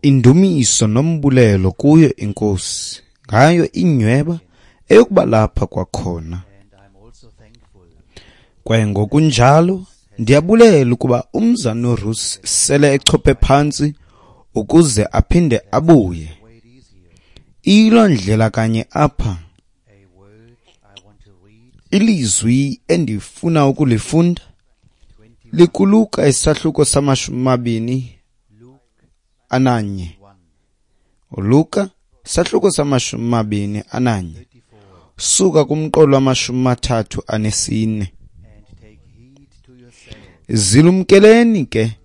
Indumiso nombulelo kuyo iNkosi ngayo inyweba eyokuba lapha kwakhona. Kwaye ngokunjalo ndiyabulela ukuba umzana uRuth sele echophe phantsi ukuze aphinde abuye. Iyiloo ndlela kanye apha. Ilizwi endifuna ukulifunda likuLuka isahluko sama-21. ULuka isahluko sama-21 suka kumqolo wama-34. Zilumkeleni ke,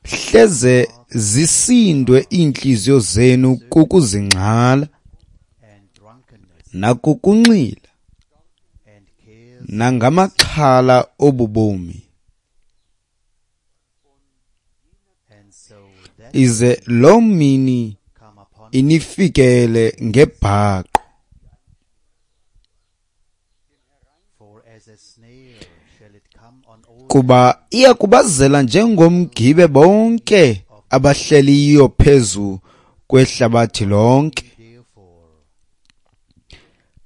hleze zisindwe iintliziyo zenu kukuzingxala nakukunxila nangamaxhala obubomi, ize loo mini inifikele ngebhaqo. Kuba iya kubazela njengomgibe bonke abahleliyo phezu kwehlabathi lonke.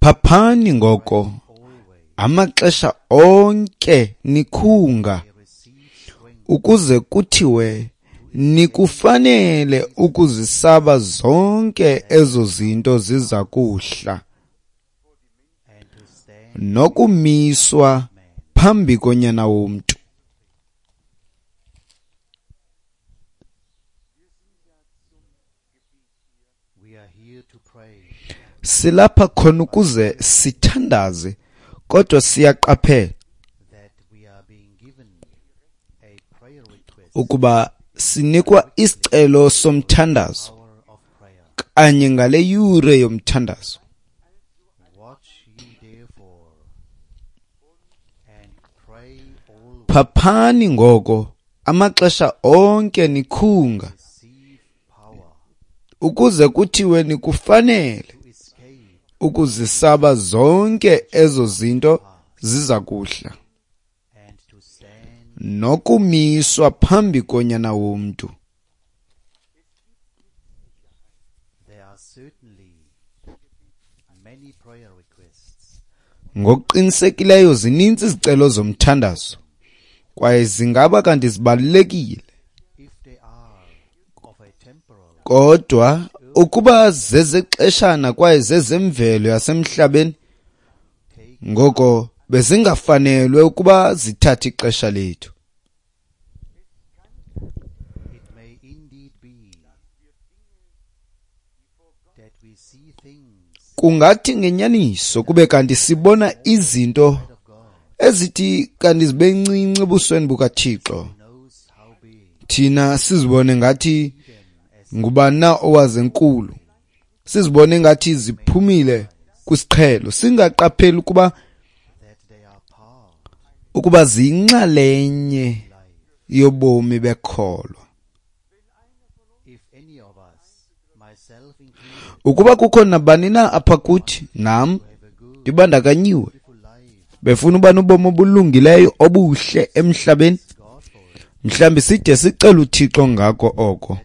Phaphani ngoko amaxesha onke nikhunga, ukuze kuthiwe nikufanele ukuzisaba zonke ezo zinto ziza kuhla, nokumiswa phambi koNyana womntu. Silapha khona ukuze sithandaze, kodwa siyaqaphela ukuba sinikwa isicelo somthandazo kanye ngale yure yomthandazo. Phaphani ngoko amaxesha onke nikhunga, ukuze kuthiwe nikufanele ukuzisaba zonke ezo zinto ziza kuhla, nokumiswa phambi koNyana womntu. Ngokuqinisekileyo zininzi izicelo zomthandazo, kwaye zingaba kanti zibalulekile, kodwa ukuba zezexeshana kwaye zezemvelo yasemhlabeni, ngoko bezingafanelwe ukuba zithathe ixesha lethu. Kungathi ngenyaniso kube kanti sibona izinto ezithi kanti zibe ncinci ebusweni bukaThixo, thina sizibone ngathi ngubani na owazenkulu, sizibone ngathi ziphumile kwisiqhelo, singaqapheli ukuba ziyinxalenye yobomi bekholwa. Ukuba kukho nabani na apha kuthi, nam ndibandakanyiwe, befuna uba nobomi obulungileyo obuhle emhlabeni, mhlawumbi side sicele uThixo ngako oko.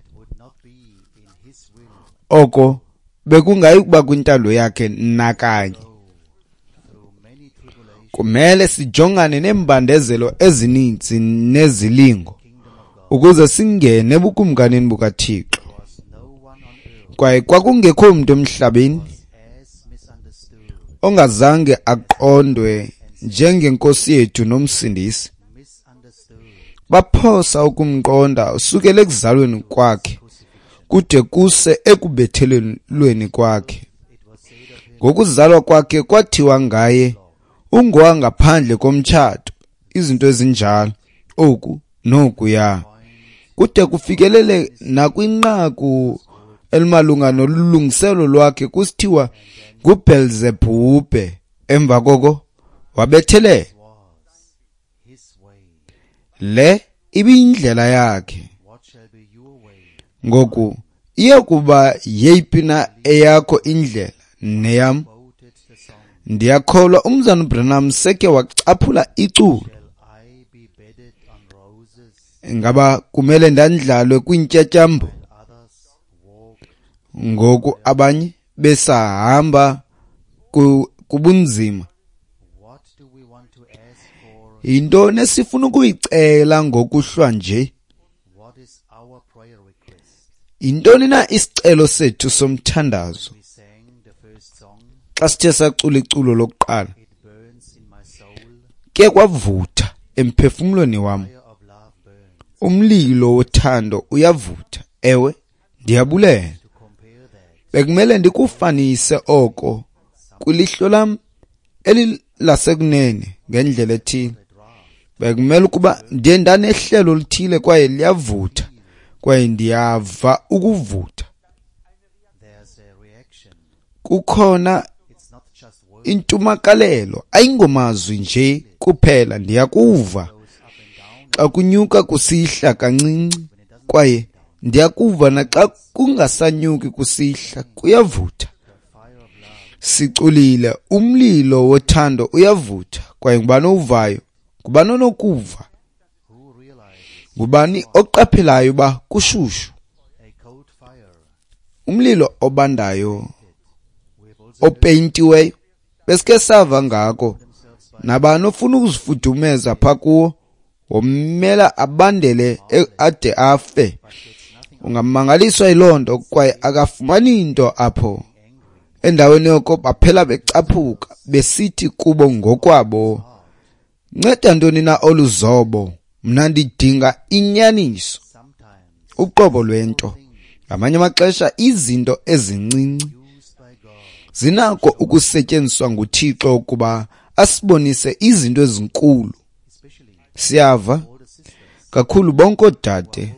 Oko bekungayi kuba kwintando yakhe nakanye. Kumele sijongane neembandezelo ezininzi nezilingo ukuze singene ebukumkanini bukaThixo. Kwaye kwakungekho mntu emhlabeni ongazange aqondwe njengenkosi yethu nomsindisi. Baphosa ukumqonda usukela ekuzalweni kwakhe kude kuse ekubethelelweni kwakhe. Ngokuzalwa kwakhe kwathiwa ngaye ungowangaphandle komtshato, izinto ezinjalo, oku nokuya, kude kufikelele nakwinqaku elimalunga nolungiselo lwakhe kusithiwa nguBelzebhubhe. Emva koko wabethelela. Le ibiyindlela yakhe. Ngoku iya kuba yeyiphi na eyakho indlela neyam? Ndiyakholwa umzana Branham seke wacaphula iculo. Ingaba kumele ndandlalwe kwiintyatyambo ngoku abanye besahamba kubunzima? Yintoni esifuna ukuyicela ngokuhlwa nje? Yintoni na isicelo sethu somthandazo? Xa sithe sacula iculo lokuqala, ke kwavutha emphefumlweni wam. Umlilo wothando uyavutha. Ewe, ndiyabulela. Bekumele ndikufanise oko kwilihlo lam elilasekunene ngendlela ethile. Bekumele ukuba ndiye ndanehlelo oluthile kwaye liyavutha, kwaye ndiyava ukuvutha. Kukhona intumakalelo, ayingomazwi nje kuphela, ndiyakuva xa kunyuka kusihla kancinci, kwaye ndiyakuva naxa kungasanyuki kusihla, kuyavutha. Siculile, umlilo wothando uyavutha, kwaye ngubani owuvayo? Ngubani onokuva? Ngubani oqaphelayo uba kushushu? Umlilo obandayo opeyintiweyo, besike sava ngako. Nabani ofuna ukuzifudumeza pha kuwo womela abandele ade afe. Ungamangaliswa yiloo nto, kwaye akafumani nto apho. Endaweni yoko baphela becaphuka besithi kubo ngokwabo, nceda ntoni na olu zobo? Mna ndidinga inyaniso, uqobo lwento. Ngamanye amaxesha izinto ezincinci zinako ukusetyenziswa nguThixo ukuba asibonise izinto ezinkulu. Siyava kakhulu bonke oodade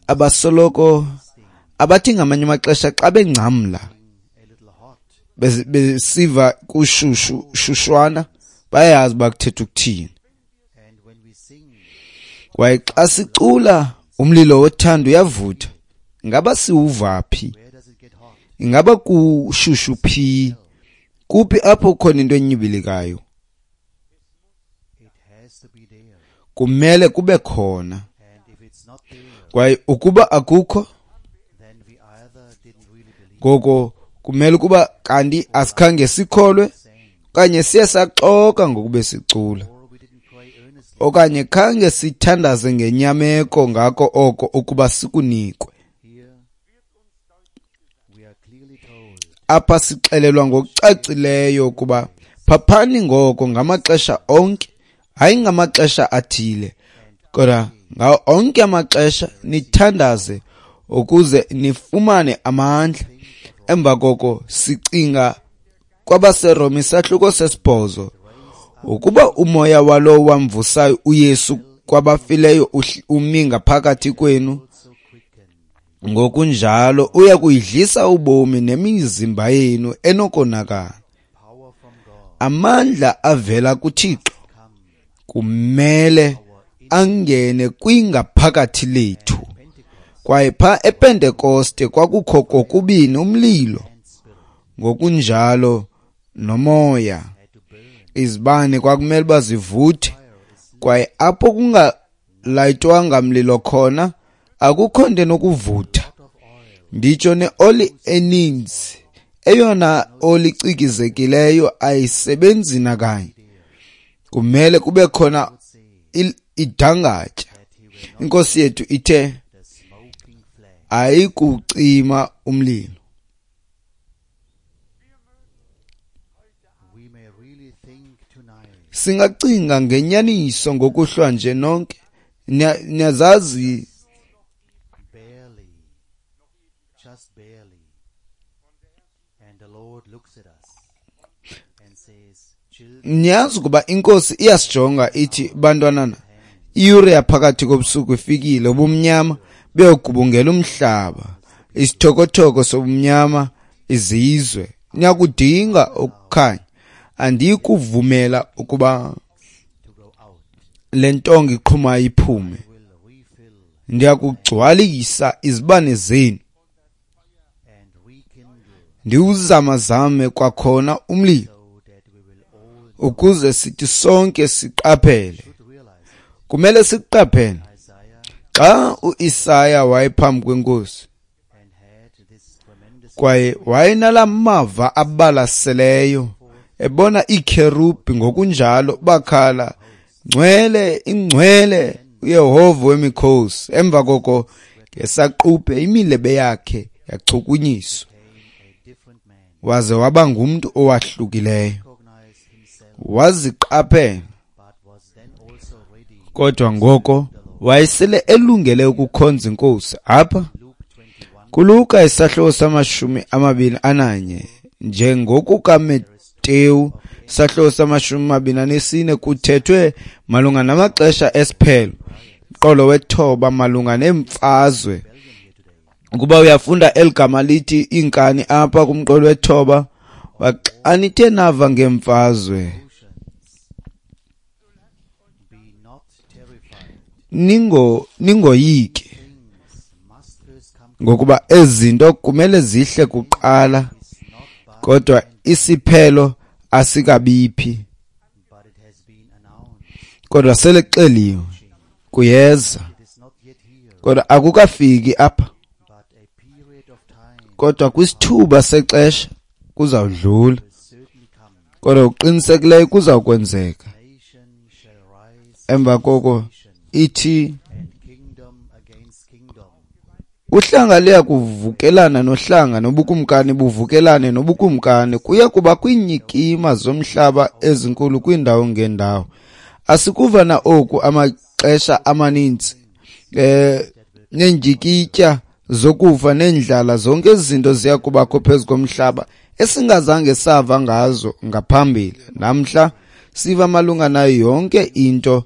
abasoloko abathi ngamanye amaxesha xa bengcamla besiva kushushu shushwana, bayayazi uba kuthetha ukuthini. Kwaye xa sicula umlilo wothando uyavutha, ingaba siwuva phi? Ingaba kushushu phi? Kuphi apho khona into enyibilikayo? Kumele kube khona. Kwaye ukuba akukho, ngoko kumele ukuba kanti asikhange sikholwe, okanye siye saxoka ngokube sicula, okanye khange sithandaze ngenyameko ngako oko ukuba sikunikwe. Apha sixelelwa ngokucacileyo ukuba phaphani ngoko ngamaxesha onke, hayi ngamaxesha athile, kodwa ngawo onke amaxesha nithandaze ukuze nifumane amandla. Emva koko sicinga kwabaseRoma isahluko 8, ukuba umoya walowo wamvusayo uYesu kwabafileyo umi ngaphakathi kwenu, ngokunjalo uya kuyidlisa ubomi nemizimba yenu enokonakala. Amandla avela kuThixo kumele angene kwingaphakathi lethu. Kwaye pha ePentekoste kwakukho kokubini umlilo ngokunjalo nomoya. Izibane kwakumele uba zivuthe, kwaye apho kungalayitwanga mlilo khona akukho nto enokuvutha. Nditsho neoli eninzi, eyona oli icikizekileyo ayisebenzi nakanye. Kumele kube khona idangatya. Inkosi yethu ithe ayikucima umlilo. Singacinga ngenyaniso ngokuhlwa nje nonke. Niyazazi niyazi ukuba inkosi iyasijonga ithi, bantwanana, iyure yaphakathi kobusuku ifikile, ubumnyama buyogubungela umhlaba, isithokothoko sobumnyama izizwe. Niyakudinga ukukhanya. Andiyikuvumela ukuba le ntonga iqhumayo iphume. Ndiyakugcwalisa izibane zenu, ndiwuzamazame kwakhona umlilo, ukuze sithi sonke siqaphele. Kumele sikuqaphele xa uIsaya wayephambi kwenkosi kwaye wayenala mava abalaseleyo, ebona iikherubhi ngokunjalo, bakhala, "Ngcwele, ingcwele uYehova wemikhosi." Emva koko ngesaquphe imilebe yakhe yachukunyiswa, waze waba ngumntu owahlukileyo. Waziqaphela, kodwa ngoko wayesele elungele ukukhonza inkosi. Apha kuLuka isahluko sama-21, njengokukaMateyu isahluko sama-24, kuthethwe malunga namaxesha esiphelo, mqolo wethoba malunga neemfazwe. Ukuba uyafunda eli gama lithi iinkani apha kumqolo wethoba, xa nithe nava ngeemfazwe, ningoyiki, ngokuba ezi zinto kumele zihle kuqala, kodwa isiphelo asikabiphi. Kodwa sele kuxeliwe, kuyeza, kodwa akukafiki apha. Kodwa kwisithuba sexesha kuzawudlula, kodwa uqinisekileyo kuzawukwenzeka. Emva koko ithi uhlanga luya kuvukelana nohlanga, nobukumkani buvukelane nobukumkani. Kuya kuba kwiinyikima zomhlaba ezinkulu kwiindawo ngeendawo. Asikuva na oku amaxesha amaninzi, neendyikitya zokufa neendlala, zonke ezi zinto ziya kubakho phezu komhlaba esingazange sava ngazo ngaphambili. Namhla siva malunga nayo yonke into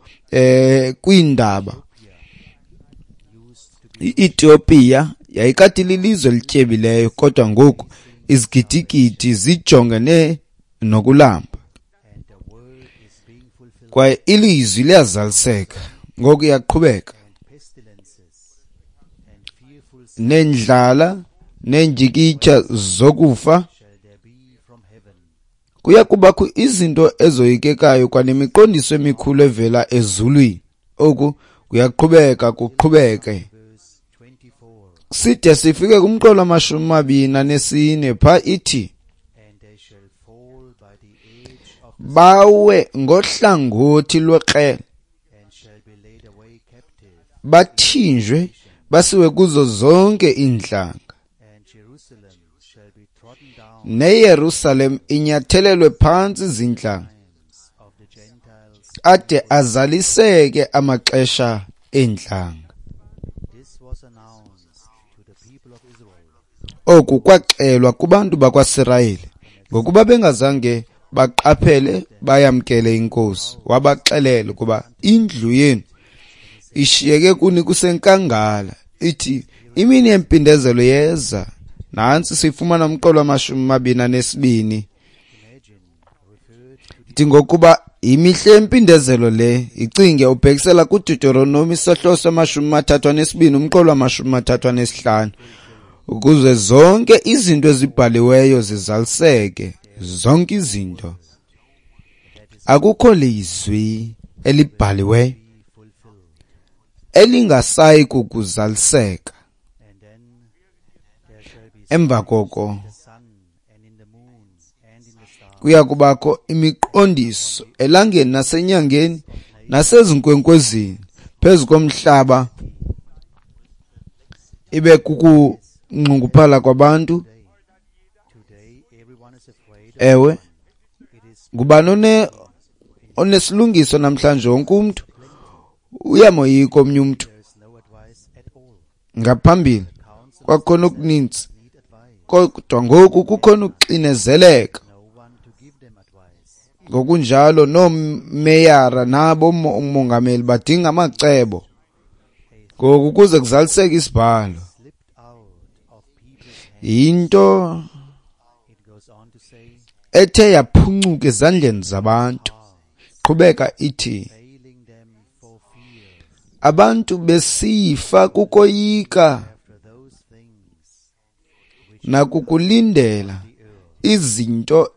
kwiindaba. I-Ethiopia yayikade lilizwe elityebileyo, kodwa ngoku izigidigidi zijongene nokulamba. Kwaye ilizwi liyazaliseka. Ngoku iyaqhubeka. Neendlala neendyikitya zokufa, kuya kubakho izinto ezoyikekayo kwanemiqondiso emikhulu evela ezulwini. Oku kuyaqhubeka kuqhubeke side sifike kumqolo wama-24. Pha ithi bawe ngohlangothi lwekrele, bathinjwe basiwe kuzo zonke iintlanga, neYerusalem inyathelelwe phantsi zintlanga, ade azaliseke amaxesha eentlanga. Oku kwaxelwa kubantu bakwaSirayeli, ngokuba bengazange baqaphele bayamkele inkosi. Wabaxelela ukuba indlu yenu ishiyeke kuni kusenkangala. Ithi imini yempindezelo yeza. Nantsi sifumana umqolo wama-22. Ithi ngokuba imihla yempindezelo le, icinge ubhekisela kuDeuteronomi isahluko sama-32 umqolo wama-35, ukuze zonke izinto ezibhaliweyo zizaliseke. Zonke izinto. Akukho lizwi elibhaliweyo elingasayi kukuzaliseka. Emva koko kuya kubakho imiqondiso elangeni nasenyangeni nasezinkwenkwezini phezu komhlaba, ibe kukunxunguphala kwabantu. Ewe, ngubani onesilungiso namhlanje? Wonke umntu uyamoyika omnye umntu. Ngaphambili kwakhona okuninzi, kodwa ngoku kukhona ukuxinezeleka. Ngokunjalo noomeyara nabo umongameli badinga amacebo ngoku ukuze kuzaliseke isibhalo. Yinto ethe yaphuncuka ezandleni zabantu. Qhubeka ithi abantu besifa kukoyika nakukulindela izinto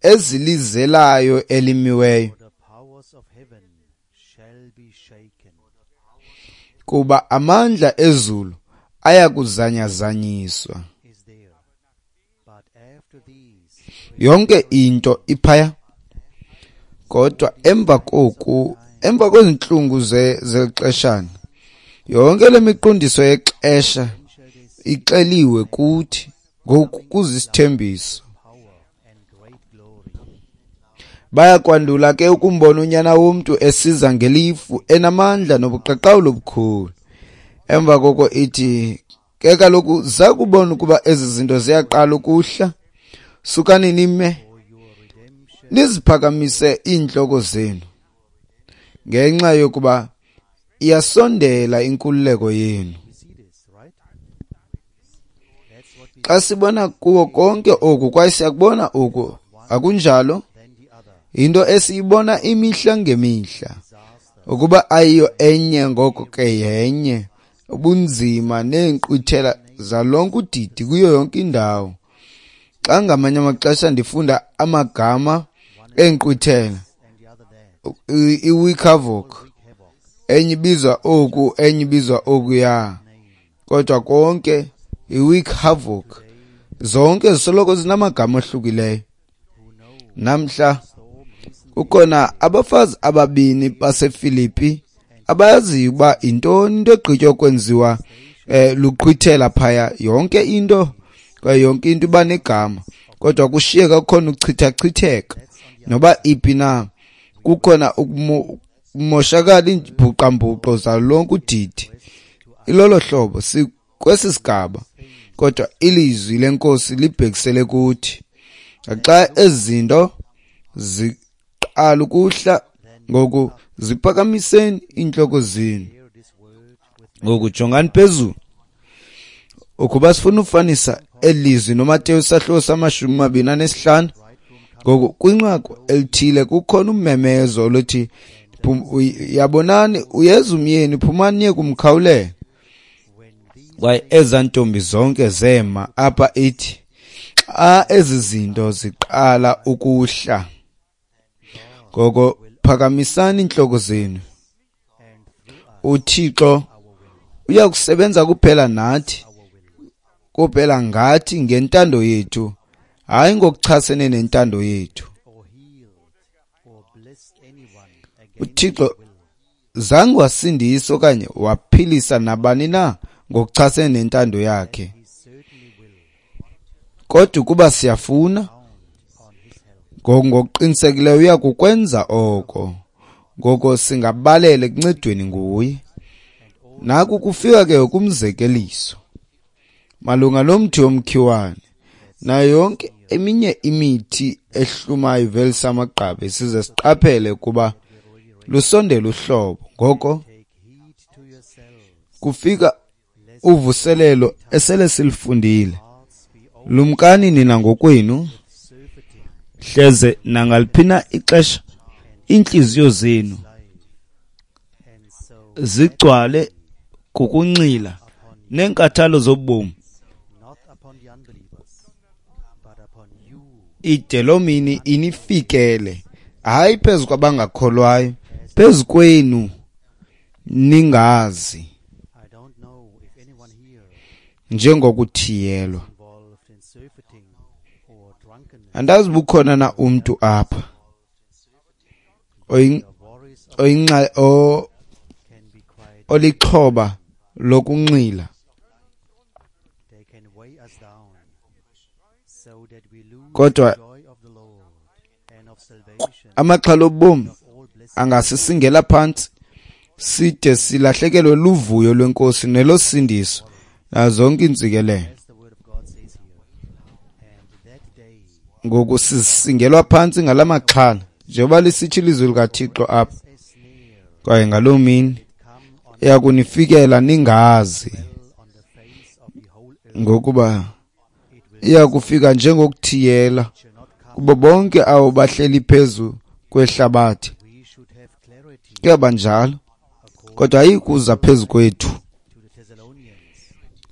ezilizelayo elimiweyo. Kuba amandla ezulu ayakuzanyazanyiswa. Yonke into iphaya. Kodwa emva koku, emva kwezintlungu zexeshana, yonke le miqondiso yexesha ixeliwe kuthi ngoku kuzisithembiso. Bayakwandula ke ukumbona uNyana womntu esiza ngelifu enamandla nobuqaqawuli obukhulu. Emva koko ithi ke kaloku zakubona ukuba ezi zinto ziyaqala ukuhla, sukani nime niziphakamise iintloko zenu, ngenxa yokuba iyasondela inkululeko yenu. Xa sibona kuwo konke oku, kwaye siyakubona oku, akunjalo? Into esiyibona imihla ngemihla, ukuba ayiyo enye ngoko ke yenye, ubunzima neenkqwithela zalonke udidi kuyo yonke indawo. Xa ngamanye amaxesha ndifunda amagama eenkqwithela, i-week havoc, enye ibizwa oku, enye ibizwa okuya, kodwa konke i-week havoc, zonke zisoloko zinamagama ohlukileyo. Namhla kukhona abafazi ababini baseFilipi abayaziyo uba yintoni into egqitywa kwenziwa luqhwithela phaya. Yonke into, kwaye yonke into iba negama, kodwa kushiyeka kukhona ukuchithachitheka noba iphi na, kukhona ukumoshakala iimbhuqambuqo zalonke udidi. Ilolo hlobo sikwesi sigaba, kodwa ilizwi lenkosi libhekisele kuthi. Xa ezi zinto ziqala ukuhla, ngoku ziphakamiseni iintloko zenu, ngoku jongani phezulu. Ukuba sifuna ufanisa elizwi noMateyu sahluko sama-25, ngoku kwinqaku elithile kukhona ummemezo oluthi, yabonani uyeza umyeni, phumani niye kumkhawulela. Kwaye ezaa ntombi zonke zema apha ithi, xa ezi zinto ziqala ukuhla, ngoko phakamisani iintloko zenu. UThixo uyakusebenza kuphela nathi, kuphela ngathi ngentando yethu, hayi ngokuchasene nentando yethu. UThixo zange wasindisa okanye waphilisa nabani na ngokuchasene nentando yakhe. Kodwa ukuba siyafuna, ngokuqinisekileyo uyakukwenza oko. Ngoko singabalela ekuncedweni nguye. Naku kufika ke kumzekeliso malunga nomthi womkhiwane nayo yonke eminye imithi ehlumayo ivelisa amagqabi, size siqaphele kuba lusondela uhlobo. Ngoko kufika uvuselelo esele silifundile. Lumkani nina ngokwenu, hleze nangaliphi ixesha iintliziyo zenu zigcwale kukunxila neenkathalo zobomi, ide loo mini inifikele, hayi phezu kwabangakholwayo, phezu kwenu ningazi, njengokuthiyelwa. Andazi bukhona na umntu apha olixhoba lokunxila. Kodwa amaxhala obomi angasisingela phantsi side silahlekelwe luvuyo lwenkosi nelosindiso nazo zonke iintsikelelo. Ngoku sisingelwa phantsi ngala maxhala, njengoba lisitsho ilizwi likaThixo apha. Kwaye ngaloo mini iyakunifikela ningazi, ngokuba iyakufika njengokuthiyela kubo bonke abo bahleli phezu kwehlabathi. Kuyaba njalo, kodwa ayikuza phezu kwethu.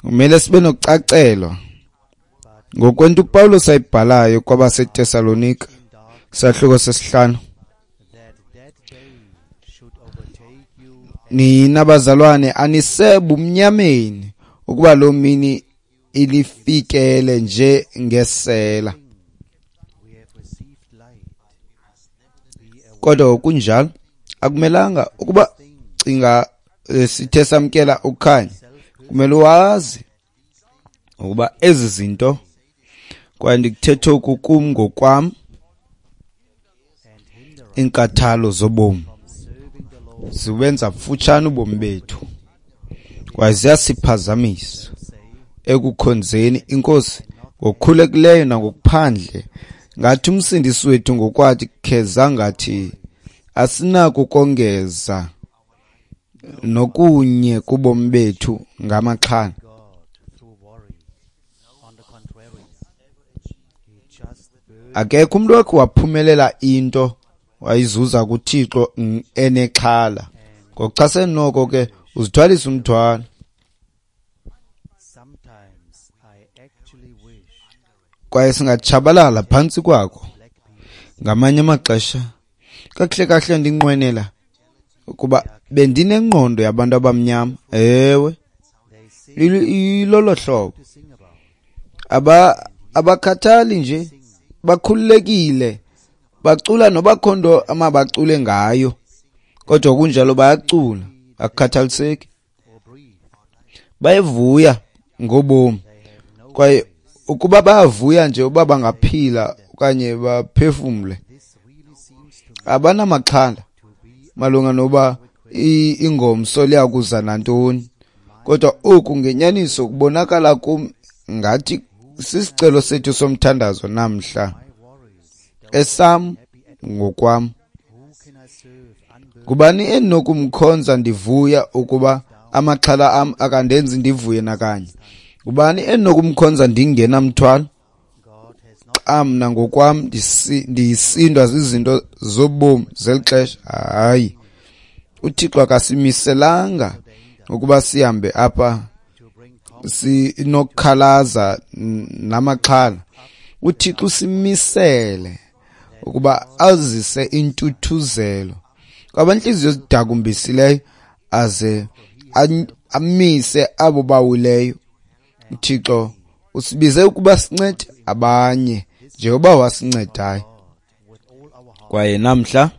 Kumele sibe nokucacelwa ngokwento uPawulos ayibhalayo kwabaseTesalonika, isahluko sesihlanu. Nina bazalwane anisebumnyameni ukuba loo mini ilifikele nje ngesela. Kodwa kunjalo akumelanga ukuba cinga sithe samkela ukukhanya, kumele wazi ukuba ezi zinto, kwaye ndikuthetha oku kum ngokwam, iinkathalo zobomi ziwenza mfutshane ubomi bethu kwaye ziyasiphazamisa ekukhonzeni iNkosi ngokukhulekileyo nangokuphandle. Ngathi uMsindisi wethu ngokwakhe kheza ngathi asinako ukongeza nokunye kubomi bethu ngamaxhala. Akekho umntu wakhe waphumelela into wayizuza kuThixo enexhala. Ngokuchasene noko ke uzithwalisa umthwalo. Kwaye singatshabalala phantsi kwako. Ngamanye amaxesha kakuhle kahle ndinqwenela ukuba bendinengqondo yabantu abamnyama. Ewe, ilolo hlobo. Abakhathali nje, bakhululekile, bacula noba akho nto amabacule ngayo, kodwa kunjalo bayacula, akukhathaliseki. Bayavuya ngobomi, kwaye ukuba bayavuya nje uba bangaphila okanye baphefumle, abanamaxhala malunga noba ingomso liyakuza nantoni. Kodwa oku ngenyaniso kubonakala kum ngathi sisicelo sethu somthandazo namhla, esam ngokwam. Ngubani endinokumkhonza ndivuya ukuba amaxhala am akandenzi ndivuye nakanye? Ngubani endinokumkhonza ndingenamthwalo, xa mna ngokwam ndisindwa zizinto zobomi zeli xesha? Hayi, uThixo akasimiselanga ukuba sihambe apha sinokukhalaza namaxhala. uThixo usimisele ukuba azise intuthuzelo kwabantliziyo zidakumbisileyo, aze amise abo bawileyo. uThixo usibize ukuba sincede abanye njengoba wasincedayo. Kwaye namhla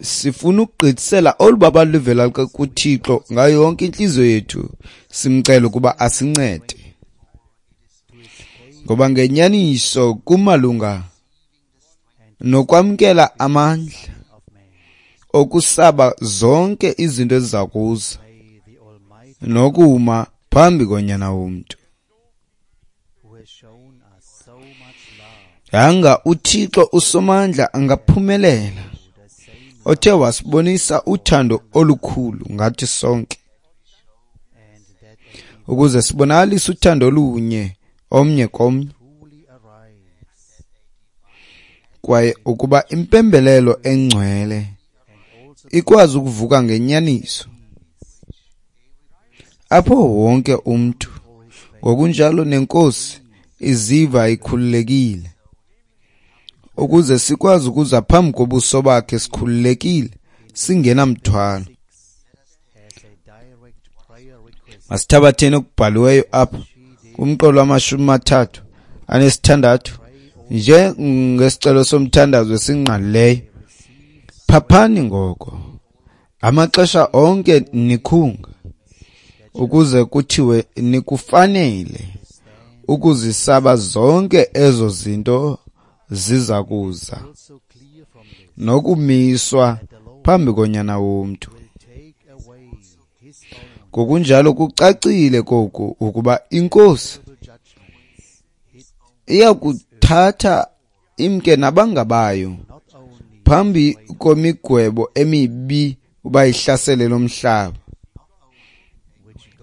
sifuna ukugqithisela olu babalo luvela kuThixo ngayo yonke intliziyo yethu, simcele ukuba asincede, ngoba ngenyaniso kumalunga nokwamkela amandla okusaba zonke izinto eziza kuza nokuma phambi koNyana womntu. Yanga uThixo uSomandla angaphumelela, othe wasibonisa uthando olukhulu ngathi sonke, ukuze sibonakalise uthando olunye omnye komnye, kwaye ukuba impembelelo engcwele ikwazi ukuvuka ngenyaniso apho wonke umntu ngokunjalo nenkosi iziva ikhululekile, ukuze sikwazi ukuza phambi kobuso bakhe sikhululekile singenamthwalo. Masithabatheni okubhaliweyo apha kumqolo wa-36 njengesicelo somthandazo esingqalileyo. Phaphani ngoko amaxesha onke nikhunga, ukuze kuthiwe nikufanele ukuzisaba zonke ezo zinto ziza kuza nokumiswa phambi koNyana womntu. Ngokunjalo kucacile koku ukuba iNkosi iyakuthatha imke nabangabayo phambi komigwebo emibi uba ihlasele lomhlaba.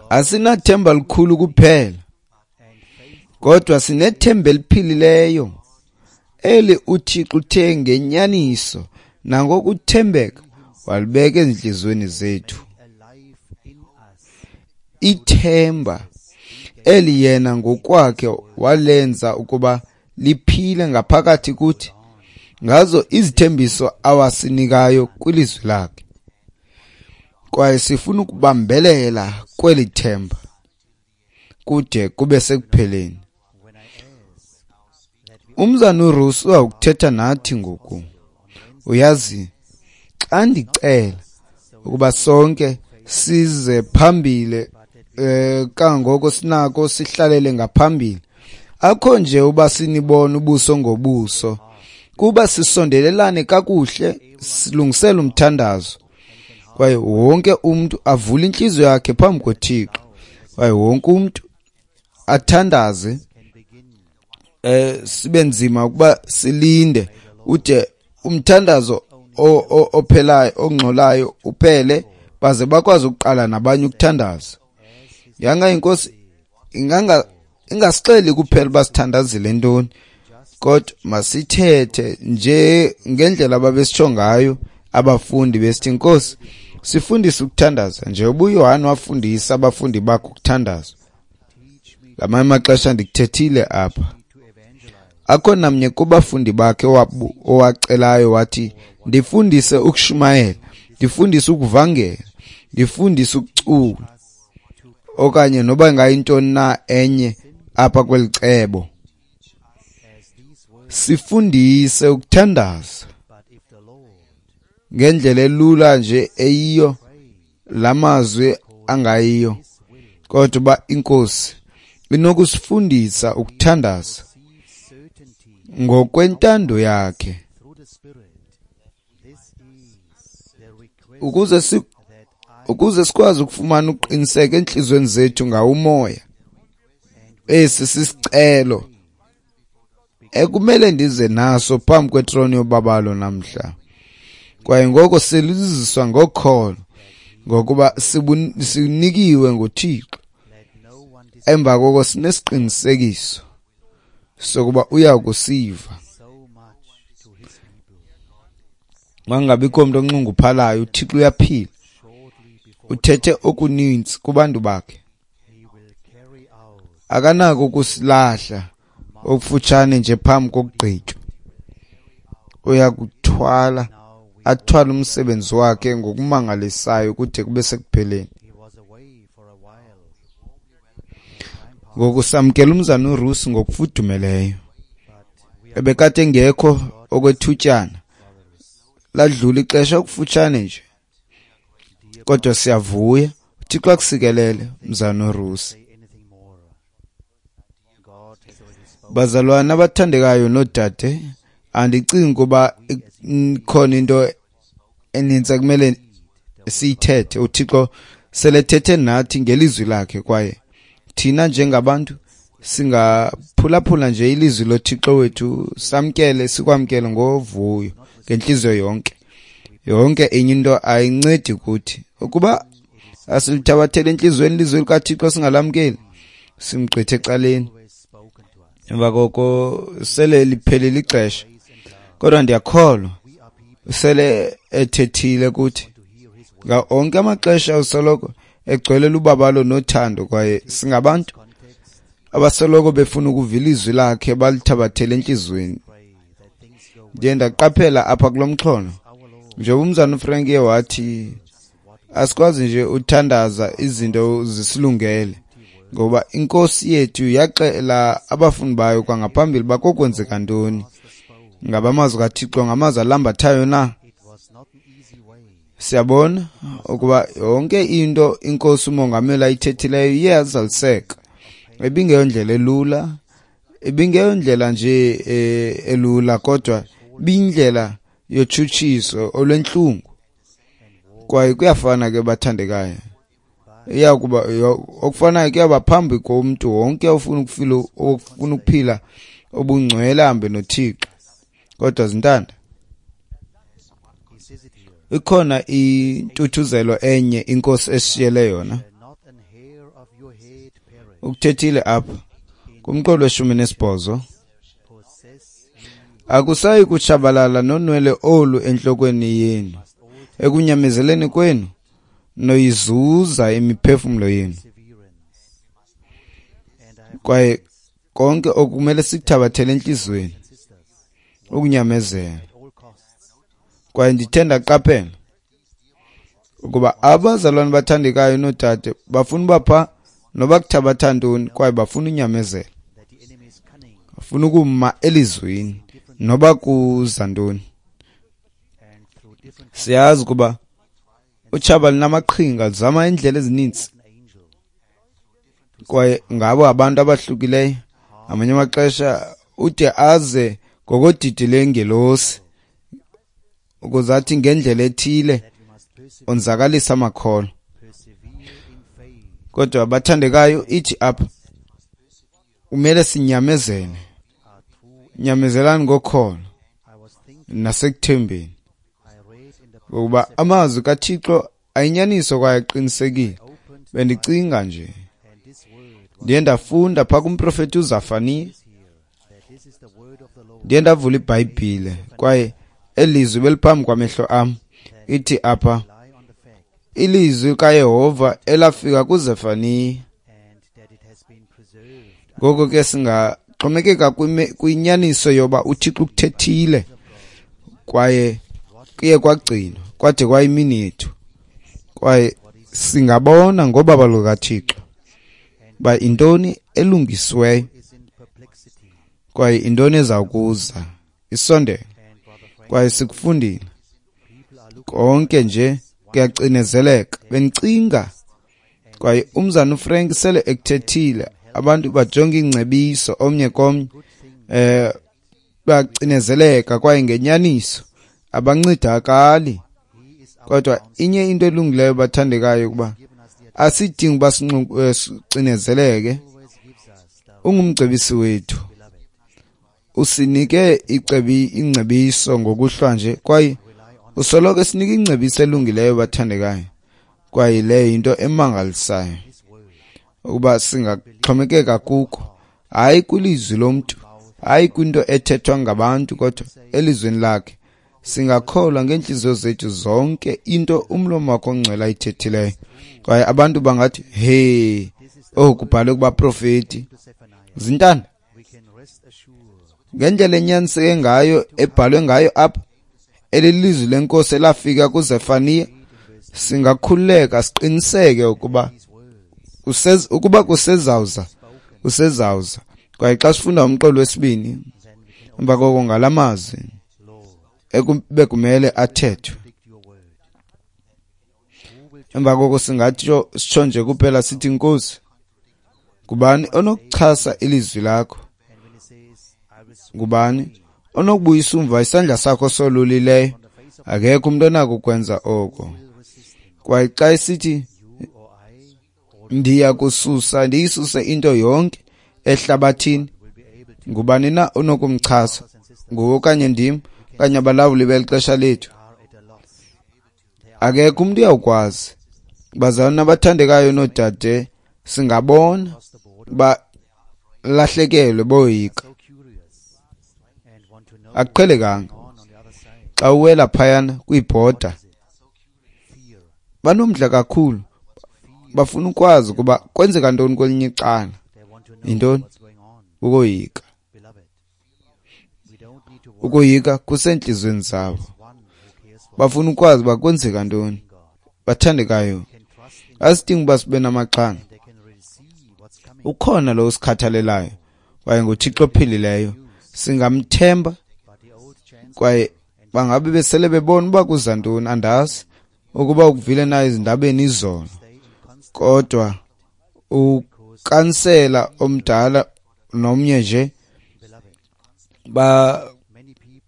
Asinathemba likhulu kuphela, kodwa sinethemba eliphilileyo eli uThixo uthe ngenyaniso nangokuthembeka walibeka ezintliziyweni zethu. Ithemba eli yena ngokwakhe walenza ukuba liphile ngaphakathi kuthi ngazo izithembiso awasinikayo kwilizwi lakhe. Kwaye sifuna ukubambelela kweli themba kude kube sekupheleni. Umzana uRusi uzawukuthetha nathi ngoku. Uyazi, xa ndicela ukuba sonke size phambili kangoko sinako sihlalele ngaphambili, akho nje uba sinibone ubuso ngobuso, kuba sisondelelane kakuhle, silungisele umthandazo. Kwaye wonke umntu avule intliziyo yakhe phambi koThixo, kwaye wonke umntu athandaze. Sibe nzima ukuba silinde ude umthandazo ophelayo ongxolayo uphele, baze bakwazi ukuqala nabanye ukuthandaza. Yanga inkosi ingasixeli kuphela uba sithandazile ntoni, kodwa masithethe nje ngendlela ababesitsho ngayo abafundi besithi, Nkosi, sifundise ukuthandaza njengoba uYohane wafundisa abafundi bakhe ukuthandaza. Ngamanye amaxesha ndikuthethile apha, akho namnye kubafundi bakhe owacelayo wathi, ndifundise ukushumayela, ndifundise ukuvangela, ndifundise ukucula, okanye noba ingayintoni na enye apha kweli cebo. Sifundise ukuthandaza ngendlela elula nje eyiyo lamazwi angayiyo, kodwa uba inkosi inokusifundisa ukuthandaza ngokwentando yakhe, ukuze sikwazi ukufumana ukuqiniseka entliziyweni zethu ngawumoya. Esi sisicelo ekumele ndize naso phambi kwetroni yobabalo namhla. Kwaye ngoko siliziswa ngokholo, ngokuba sinikiwe nguThixo. Emva koko sinesiqinisekiso sokuba uya kusiva. Mangabikho umuntu onxunguphalayo, uThixo uyaphila. Uthethe okuninzi kubantu bakhe. Akanako ukusilahla okufutshane nje phambi kokugqitywa. Uyakuthwala, athwale umsebenzi wakhe ngokumangalisayo kude kube sekupheleni. Ngoku samkela umzana uRusi ngokufudumeleyo. Ebekade engekho okwethutyana, ladlula ixesha okufutshane nje, kodwa siyavuya. uThixo akusikelele mzana uRusi. Bazalwana abathandekayo noodade, andicingi ukuba ikhona into enintsi ekumele siyithethe. uThixo selethethe nathi ngelizwi lakhe, kwaye thina njengabantu singaphulaphula nje ilizwi loThixo wethu, samkele, sikwamkele ngovuyo ngentliziyo yonke. Yonke enye into ayincedi kuthi. Ukuba asilithabathele entliziyweni ilizwi likaThixo singalamkeli, simgqithe ecaleni. Emva koko sele liphelile ixesha, kodwa ndiyakholwa sele ethethile kuthi. Nga onke amaxesha usoloko egcwele lubabalo nothando, kwaye singabantu abasoloko befuna ukuva ilizwi lakhe balithabathele entliziyweni. Ndiye ndaqaphela apha kulo mxholo, njengoba umzana uFrank wathi, asikwazi nje uthandaza izinto zisilungele, ngoba inkosi yethu yaxela abafundi bayo kwangaphambili bakokwenzeka ntoni. Ngaba amazwi kaThixo ngamazwi alambathayo na? Siyabona ukuba yonke into inkosi umongameli ayithethileyo iye yazaliseka. Ibingeyondlela elula, ibingeyondlela nje elula, kodwa ibiyindlela yotshutshiso olwentlungu. Kwaye kuyafana ke bathandekayo, iyakuba okufanayo kuyaba phambi komntu wonke ofuna ukuphila obungcwele ahambe noThixo. Kodwa zintanda, ikhona intuthuzelo enye inkosi esishiyele yona. Ukuthethile apha kumqolo we-18, akusayi kutshabalala nonwele olu entlokweni yenu, ekunyamezeleni kwenu noyizuza imiphefumlo yenu. Kwaye konke okumele sikuthabathele entliziyweni, ukunyamezela. Kwaye ndithe ndaqaphela ukuba abazalwane bathandekayo noodade bafuna uba pha noba kuthabatha ntoni, kwaye bafuna unyamezela, bafuna ukuma elizwini noba kuza ntoni. Siyazi ukuba utshaba linamaqhinga, lizama iindlela ezininzi, kwaye ngabo abantu abahlukileyo. Amanye amaxesha ude aze ngokodidi lengelosi ukuze athi ngendlela ethile onzakalisa amakholwa. Kodwa bathandekayo, ithi apha kumele sinyamezele. Nyamezelani ngokholo nasekuthembeni, ngokuba amazwi kaThixo ayinyaniso kwaye aqinisekile. Bendicinga nje, ndiye ndafunda phaa kumprofeti uZafaniya, ndiye ndavula iBhayibhile kwaye elizwi beliphambi kwamehlo am. Ithi apha ilizwi kaYehova elafika kuZefaniya. Ngoko ke singaxhomekeka kwinyaniso yoba uThixo ukuthethile kwaye kuye kwagcinwa kwade kwayimini yethu, kwaye singabona ngobaba lukaThixo uba intoni elungisiweyo kwaye intoni ezawukuza isondele. Kwaye sikufundile konke nje kuyacinezeleka. Bendicinga kwaye umzana uFrank sele ekuthethile, abantu bajonga ingcebiso omnye komnye, bacinezeleka kwaye ngenyaniso abancedakali. Kodwa inye into elungileyo bathandekayo ukuba asidingi uba sicinezeleke. Ungumcebisi wethu, usinike ingcebiso ngokuhlwa nje, kwaye usoloko esinika ingcebiso elungileyo bathandekayo. Kwaye leyo yinto emangalisayo ukuba singaxhomekeka kuko, hayi kwilizwi lomntu, hayi kwinto ethethwa ngabantu, kodwa elizwini lakhe. Singakholwa ngeentliziyo zethu zonke into umlomo wakho ongcwele ayithethileyo. Kwaye abantu bangathi, hey, oku kubhalwe kubaprofeti. Zintanda ngendlela enyaniseke ngayo ebhalwe ngayo apha, elilizwi lenkosi elafika kuZefaniya, singakhululeka siqiniseke ukuba kusezawuza, kusezawuza. Kwaye xa sifunda umqolo wesibini emva koko ngalamazwi bekumele athethwe, emva koko singatsho sitsho nje kuphela sithi, Nkosi, ngubani onokuchasa ilizwi lakho? Ngubani onokubuyisa umva isandla sakho solulileyo? Akekho umuntu onako ukwenza oko. Kwaye xa esithi ndiya kususa, ndiyisuse into yonke ehlabathini, ngubani na onokumchasa? Nguwe okanye ndim okanye abalawuli beli xesha lethu? Akekho umuntu uyawukwazi. Bazalwane abathandekayo noodade, singabona balahlekelwe boyika. Akuqhelekanga xa uwela phayana kwibhoda, banomdla kakhulu, bafuna ukwazi ukuba kwenzeka ntoni kwelinye icala. Yintoni? Ukoyika. Ukoyika kusentliziyweni zabo, bafuna ukwazi uba kwenzeka ntoni. Bathandekayo, asidingi uba sibe namaxhala. Ukhona lo usikhathalelayo kwaye nguThixo ophilileyo, singamthemba. Kwaye bangabe besele bebona uba kuza ntoni, andazi ukuba ukuvile na ezindabeni izolo, kodwa ukansela omdala nomnye nje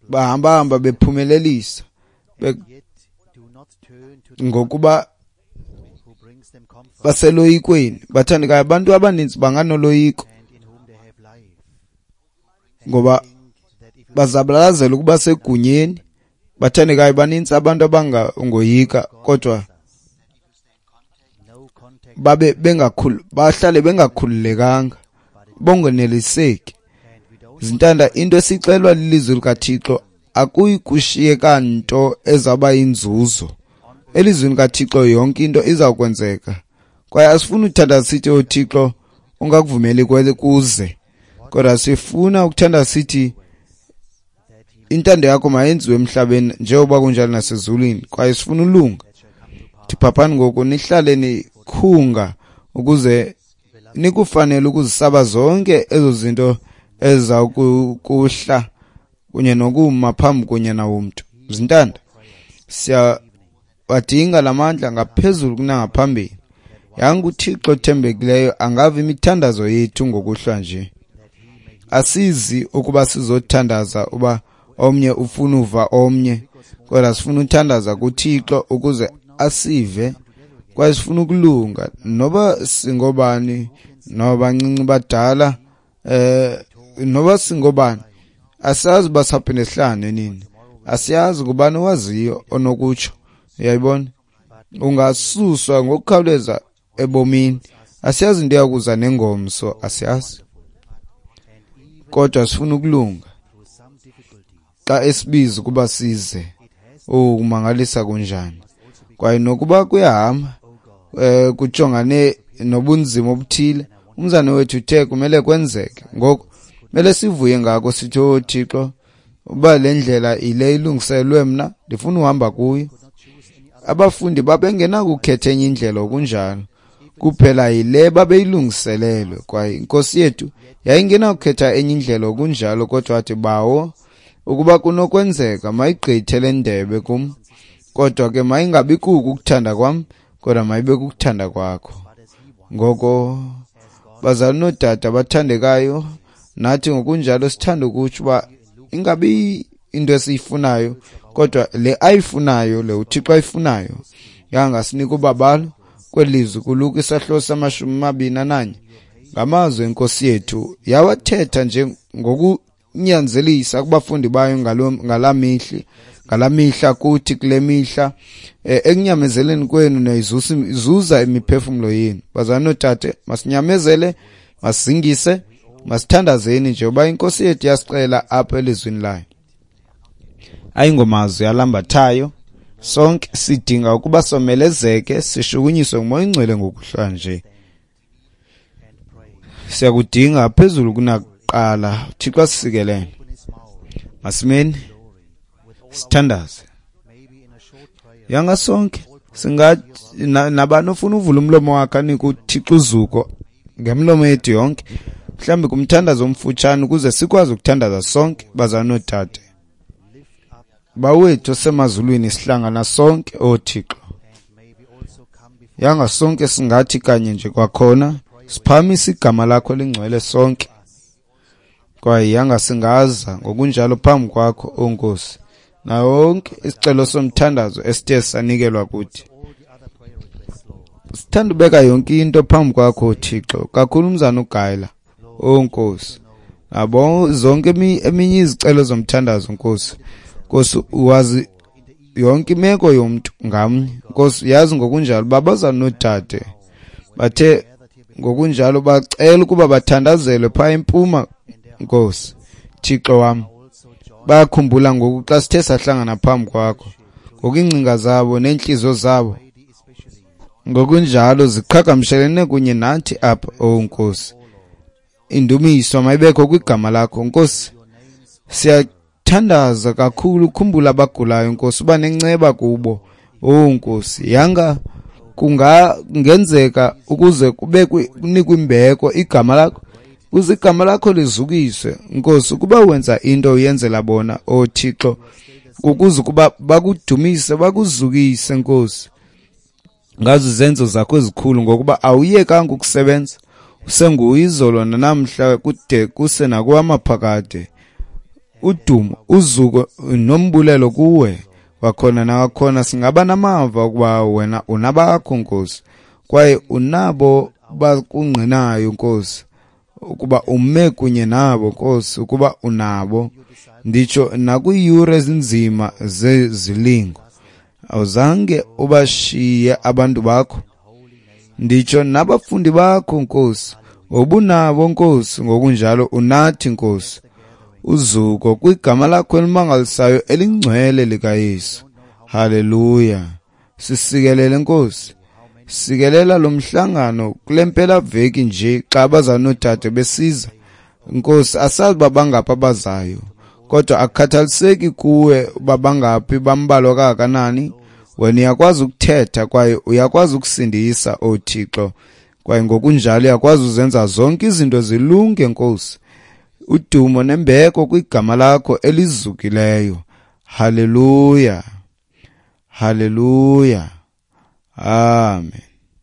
bahamba-hamba bephumelelisa ngokuba baseloyikweni. Bathandekayo, abantu abaninzi banganoloyiko ngoba bazabalazela ukuba segunyeni. Bathandekayo, banintsi abantu abangangoyika, kodwa babe bahlale bengakhululekanga, bongoneliseki. Zintanda, into esixelwa lilizwi likaThixo akuyi kushiyeka nto ezawuba yinzuzo. Elizwini kaThixo yonke into izawukwenzeka. Kwaye asifuni ukuthandaza sithi, oh Thixo, ungakuvumeli kuze, kodwa sifuna ukuthandaza sithi Intando yakho mayenziwe emhlabeni njengoba kunjalo nasezulwini, kwaye sifuna ulunga. Thiphaphani ngoku, nihlale nikhunga ukuze nikufanele ukuzisaba zonke ezo zinto eziza kuhla kunye nokuma phambi konyana womntu. Zintanda, siyawadinga la mandla ngaphezulu kunangaphambili. Yanga uThixo othembekileyo angava imithandazo yethu ngokuhlwa nje. Asizi ukuba sizothandaza uba omnye ufuna uva omnye, kodwa sifuna uthandaza kuThixo ukuze asive, kwaye sifuna ukulunga noba singobani, noba bancinci badala, noba singobani. Asazi uba sawuphinde sihlangane nini, asiyazi ngubani owaziyo onokutsho. Uyayibona, ungasuswa ngokukhawuleza ebomini. Asiyazi into eyakuza nengomso, asiyazi, kodwa sifuna ukulunga xa esibiza ukuba size. Kumangalisa kunjani! Kwaye nokuba kuyahamba kujongane nobunzima obuthile, umzane wethu uthe kumele kwenzeke. Ngoku kumele sivuye ngako, sithi, oh Thixo, uba le ndlela ile ilungiselwe mna, ndifuna uhamba kuyo. Abafundi babengenakukhetha enye indlela okunjalo, kuphela yile babeyilungiselelwe. Kwaye inkosi yethu yayingenakukhetha enye indlela okunjalo, kodwa wathi, Bawo, ukuba kunokwenzeka mayigqithe le ndebe kum, kodwa ke mayingabi kuko ukuthanda kwam, kodwa mayibe kukuthanda kwakho. Ngoko bazali noodade abathandekayo, nathi ngokunjalo sithanda ukutsho uba ingabi into esiyifunayo, kodwa le ayifunayo, le uThixo ayifunayo. Yangasinika ubabalo kwelizwi kuLuka isahluko sama-21. Ngamazwi enkosi yethu yawathetha nje ngokunyanzelisa kubafundi bayo ngala mihla kuthi kule mihla, ekunyamezeleni kwenu niyayizuza imiphefumlo yenu. Bazali noodade, masinyamezele, masizingise, masithandazeni nje uba inkosi yethu yasixela apha elizwini layo. Ayingomazwi alambathayo. Sonke sidinga ukuba somelezeke, sishukunyiswe nguMoya oyiNgcwele ngokuhlwa nje. Siyakudinga phezulu kunakuqala. Thixo asisikelele. Masimeni sithandaze. Yanga sonke singathi nabani ofuna uvula umlomo wakhe anike uThixo uzuko ngemlomo yethu yonke, mhlawumbi kumthandazo omfutshane ukuze sikwazi ukuthandaza sonke, bazali noodade. Bawethu osemazulwini, sihlangana sonke, o Thixo. Yanga sonke singathi kanye nje kwakhona siphakamisa igama lakho elingcwele sonke, kwaye yanga singaza ngokunjalo phambi kwakho, o Nkosi, nawo wonke isicelo somthandazo esithe sanikelwa kuthi. Sithanda ubeka yonke into phambi kwakho, Thixo, kakhulu umzana uGayila, o Nkosi, nabo zonke eminye izicelo zomthandazo, Nkosi. Nkosi, wazi yonke imeko yomntu ngamnye. Nkosi, yazi ngokunjalo babazana noodade bathe ngokunjalo bacela ukuba bathandazelwe phaa empuma. Nkosi Thixo wam, bayakhumbula ngoku xa sithe sahlangana phambi kwakho, ngoku iingcinga zabo neentliziyo zabo ngokunjalo ziqhagamshelene kunye nathi apha, o Nkosi. Indumiso mayibekho kwigama lakho, Nkosi. Siyathandaza kakhulu, khumbula abagulayo, Nkosi, uba nenceba kubo, o Nkosi. Yanga kungenzeka ukuze kube kunikwe imbeko igama lakho, ukuze igama lakho lizukiswe, Nkosi. Ukuba wenza into uyenzela bona, o Thixo, ukuze ukuba bakudumise, bakuzukise, Nkosi, ngazo izenzo zakho ezikhulu, ngokuba awuyekanga ukusebenza, usenguye izolo nanamhla kude kuse nakwamaphakade. Udumo, uzuko nombulelo kuwe. Kwakhona nakhona singaba namava ukuba wena unabakho, Nkosi, kwaye unabo bakungqinayo, Nkosi, ukuba ume kunye nabo, Nkosi, ukuba unabo, nditsho nakwiiyure ezinzima zezilingo. Awuzange ubashiye abantu bakho, nditsho nabafundi bakho, Nkosi, ngobunabo, Nkosi, ngokunjalo unathi, Nkosi. Uzuko kwigama lakho elimangalisayo elingcwele likaYesu. Haleluya. Sisikelele, Nkosi. Sikelela lo mhlangano kule mpelaveki nje xa abazali noodade besiza, Nkosi. Asazi uba bangaphi abazayo, Kodwa akukhathaliseki kuwe uba bangaphi, bambalwa kangakanani, wena uyakwazi ukuthetha kwaye uyakwazi ukusindisa, O Thixo, kwaye ngokunjalo uyakwazi uzenza zonke izinto zilunge, Nkosi. Udumo nembeko kwigama lakho elizukileyo. Haleluya, haleluya, amen.